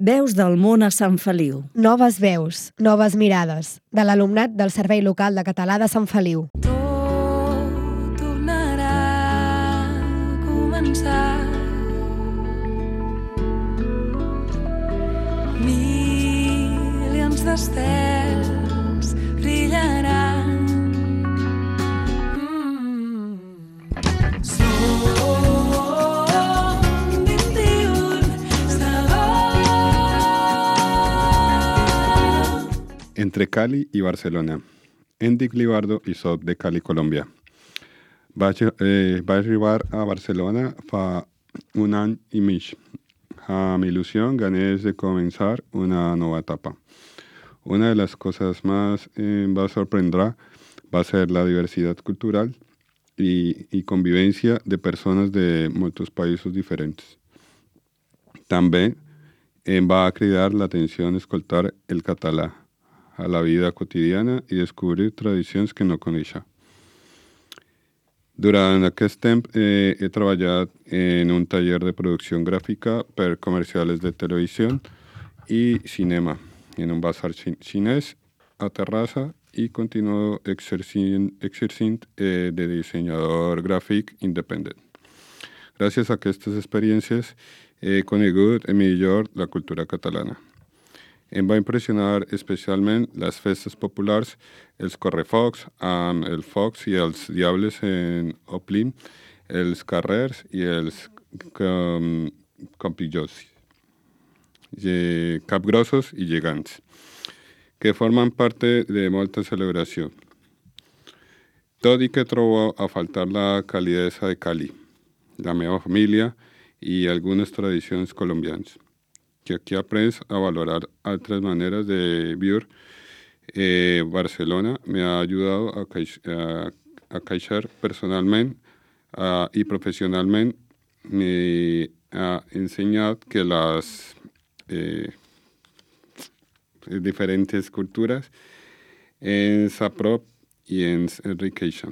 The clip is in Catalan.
Veus del món a Sant Feliu. Noves veus, noves mirades, de l'alumnat del Servei Local de Català de Sant Feliu. Tot tornarà a començar. Milions d'estels brillaran. Entre Cali y Barcelona. Endic Libardo i soc de Cali, Colòmbia. Vaig arribar a Barcelona fa un any i mig. Amb il·lusió, ganes de començar una nova etapa. Una de las cosas más va a sorprender va a ser la diversidad cultural y convivencia de personas de muchos países diferentes. També em va cridar l'atenció escoltar el català a la vida quotidiana i descobrir tradicions que no coneixia. Durant aquest temps he treballat en un taller de producció gràfica per comercials de televisió i cinema, en un bazar xinès a Terrassa i continuo exercint de dissenyador gràfic independent. Gràcies a aquestes experiències he conegut millor la cultura catalana. Em va impressionar especialment les festes populars, els correfocs amb els focs i els diables omplint els carrers i els capgrossos i gegants, que formen part de molta celebració. Tot i que trobo a faltar la calidesa de Cali, la meva família i algunes tradicions colombianes, que aquí aprens a valorar altres maneres de vivir. Barcelona me ha ayudado a crecer personalment y profesionalment. Me ha ensenyat que les diferents cultures ens aprop i ens enriqueixen.